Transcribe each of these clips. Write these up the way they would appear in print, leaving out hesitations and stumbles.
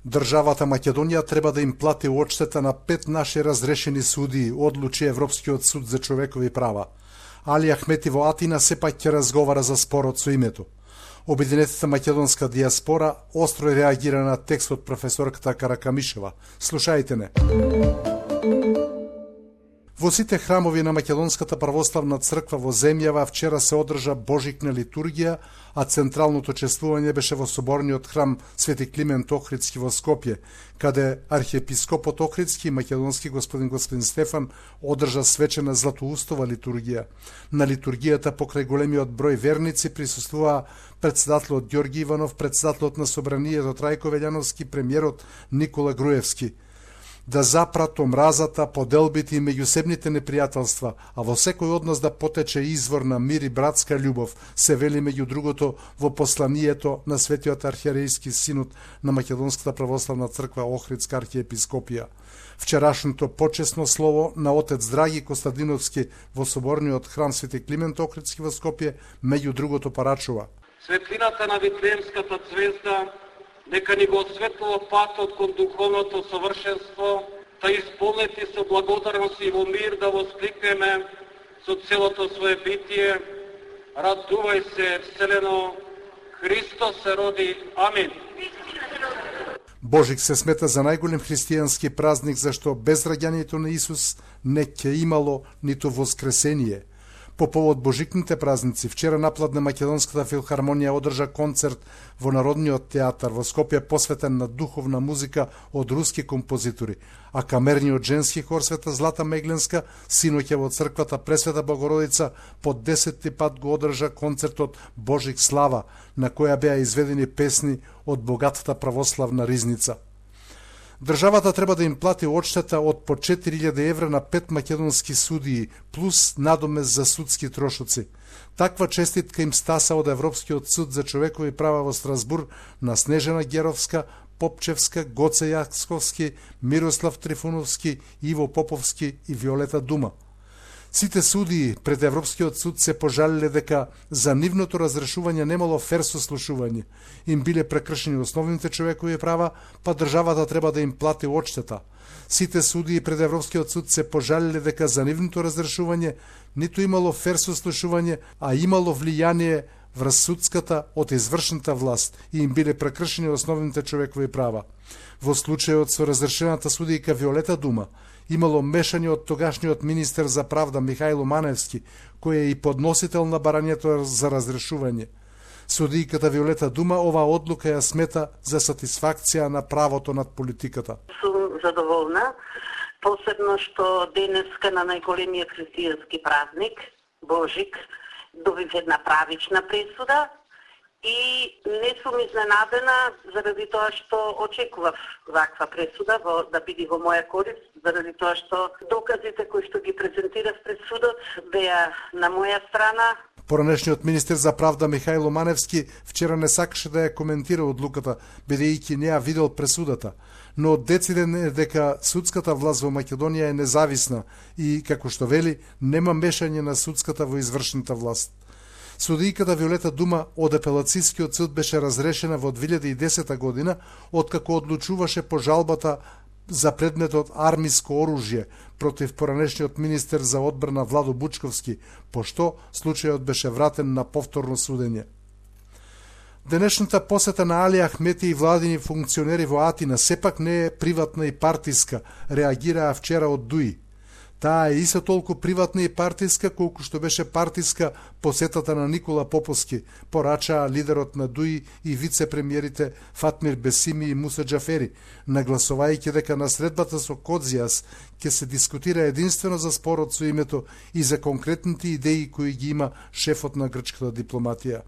Државата Македонија треба да им плати одштета на 5 наши разрешени судии, одлучи Европскиот суд за човекови права. Али Ахмети во Атина сепак ќе разговара за спорот со името. Обединетата македонска диаспора остро реагира на текстот професорката Каракамишева. Слушајте не. Во сите храмови на Македонската православна црква во земјава вчера се одржа божикна литургија, а централното чествување беше во соборниот храм Свети Климент Охридски во Скопје, каде архиепископот Охридски и македонски господин Стефан одржа свечена златоустова литургија. На литургијата покрај големиот број верници присуствуваа председателот Ѓорги Иванов, председателот на Собранието Трајко Велјановски, премиерот Никола Груевски. Да запрат омразата, поделбите и меѓусебните непријателства, а во секој од нас да потече извор на мир и братска љубов, се вели меѓу другото во посланието на Светиот архиерејски синод на Македонската православна црква Охридска архиепископија. Вчерашното почесно слово на отец Драги Костадиновски во соборниот храм Свети Климент Охридски во Скопје меѓу другото порачува: светлината на Витлеемската звезда нека ни го осветлува патот кон духовното совршенство, да исполнети со благодарност и во мир да воскликнеме со целото свое битие: радувај се, Вселено, Христос се роди. Амин. Божик се смета за најголем христијански празник, зашто без раѓањето на Исус не ќе имало ниту воскресение. По повод божикните празници, вчера напладне Македонската филхармонија одржа концерт во Народниот театар во Скопје посветен на духовна музика од руски композитори, а камерниот женски хор Света Злата Мегленска синоќа во црквата Пресвета Богородица по 10-ти пат го одржа концертот Божик слава, на која беа изведени песни од богатата православна ризница. Државата треба да им плати одштета од по 4000 евра на 5 македонски судии, плюс надомес за судски трошоци. Таква честитка им стаса од Европскиот суд за човекови права во Страсбур на Снежана Геровска, Попчевска, Гоце Јаксковски, Мирослав Трифуновски, Иво Поповски и Виолета Дума. Сите судии пред Европскиот суд се пожалиле дека за нивното разрешување немало фер сослушување, им биле прекршени основните човекови права, па државата треба да им плати одштета. Сите судии пред Европскиот суд се пожалиле дека за нивното разрешување ниту имало фер сослушување, а имало влијание врз судската од извршната власт и им биле прекршени основните човекови права. Во случајот со разрешената судијка Виолета Дума, имало мешање од тогашниот министер за правда Михајло Маневски, кој е и подносител на барањето за разрешување. Судијката Виолета Дума ова одлука ја смета за сатисфакција на правото над политиката. Сум задоволна, посебно што денеска на најголемиот христијански празник, Божик, добив една правична пресуда и не сум изненадена заради тоа што очекував ваква пресуда да биде во моја корист, заради тоа што доказите кои што ги презентирав пред судот беа на моја страна. Поранешниот министер за правда Михајло Маневски вчера не сакаше да ја коментира одлуката, бидејќи не ја видел пресудата, но дециден е дека судската власт во Македонија е независна и, како што вели, нема мешање на судската во извршната власт. Судијката Виолета Дума од апелацијскиот суд беше разрешена во 2010 година, откако одлучуваше по жалбата за предметот армиско оружје против поранешниот министер за одбрана Владо Бучковски, пошто случајот беше вратен на повторно судење. Денешната посета на Али Ахмети и владини функционери во Атина сепак не е приватна и партиска, реагираа вчера од ДУИ. Таа е исто толку приватна и партиска, колку што беше партиска посетата на Никола Поповски, порачаа лидерот на ДУИ и вице-премиерите Фатмир Бесими и Муса Џафери, нагласувајќи дека на средбата со Кодзијас ќе се дискутира единствено за спорот со името и за конкретните идеи кои ги има шефот на грчката дипломатија.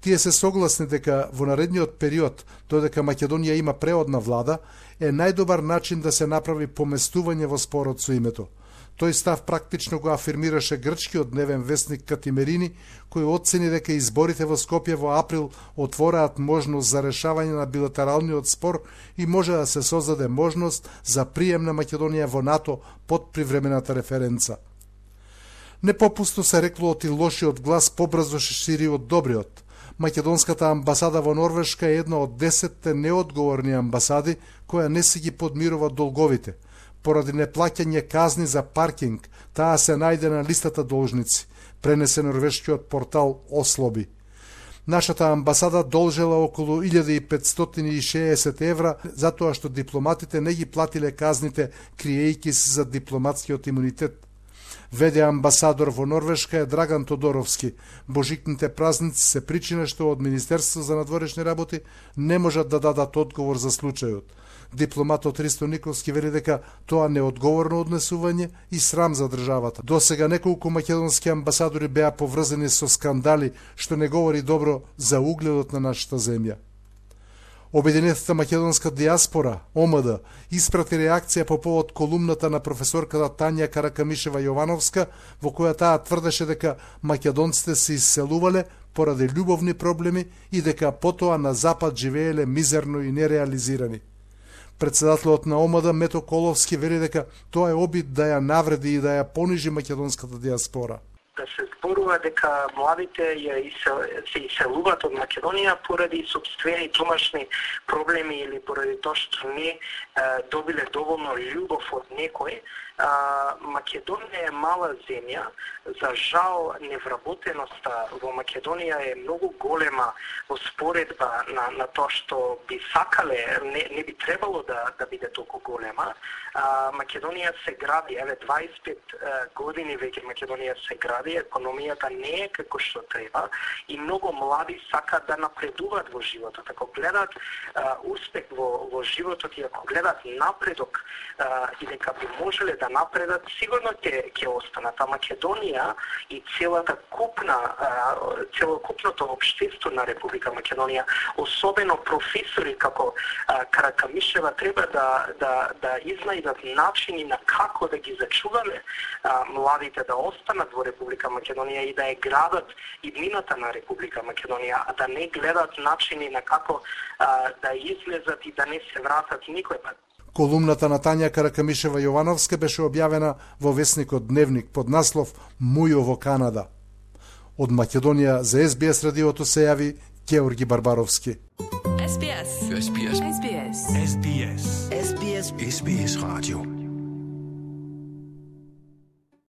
Тие се согласни дека во наредниот период, додека Македонија има преодна влада, е најдобар начин да се направи поместување во спорот со името. Тој став практично го афирмираше грчкиот дневен вестник Катимерини, кој оцени дека изборите во Скопје во април отвораат можност за решавање на билатералниот спор и може да се создаде можност за прием на Македонија во НАТО под привремената референца. Непопусто се рекло од и лошиот глас побрзо шири од добриот. Македонската амбасада во Норвешка е една од 10 неодговорни амбасади која не си ги подмирува долговите. Поради неплаќање казни за паркинг, таа се најде на листата должници, пренесе норвешкиот портал Ослоби. Нашата амбасада должела околу 1560 евра затоа што дипломатите не ги платиле казните криејќи се за дипломатскиот имунитет. Веде амбасадор во Норвешка е Драган Тодоровски. Божикните празници се причина што од Министерство за надворешни работи не можат да дадат одговор за случајот. Дипломатот Ристо Николски вели дека тоа неодговорно однесување и срам за државата. Досега неколку македонски амбасадори беа поврзани со скандали, што не говори добро за угледот на нашата земја. Обединетата македонска диаспора, ОМД, испрати реакција по повод колумната на професорката Тања Каракамишева-Јовановска, во која таа тврдеше дека македонците се исселувале поради љубовни проблеми и дека потоа на Запад живееле мизерно и нереализирани. Председателот на ОМД Мето Коловски вели дека тоа е обид да ја навреди и да ја понижи македонската диаспора. Да се зборува дека младите се иселуваат од Македонија поради сопствени домашни проблеми или поради тоа што не добиле доволно љубов од некој. Македонија е мала земја, за жал невработеноста во Македонија е многу голема во споредба на тоа што би сакале, не би требало да биде толку голема. Македонија се гради, 25 години веќе Македонија се гради, економијата не е како што треба и многу млади сакаат да напредуваат во животот. Ако гледат успех во животот и ако гледат напредок и дека би можеле да напредат, сигурно ќе останат. А Македонија и целокупното општество на Република Македонија, особено професори како Каракамишева, треба да изнајдат начини на како да ги зачуваме младите да останат во Република Македонија и да ја градат иднината на Република Македонија, а да не гледат начини на како да излезат и да не се вратат никој пат. Колумната на Тања Каракамишева-Јовановска беше објавена во весникот Дневник под наслов Мујо во Канада. Од Македонија за SBS радиото се јави Георги Барбаровски. SBS. SBS. SBS. SBS. SBS. SBS Radio.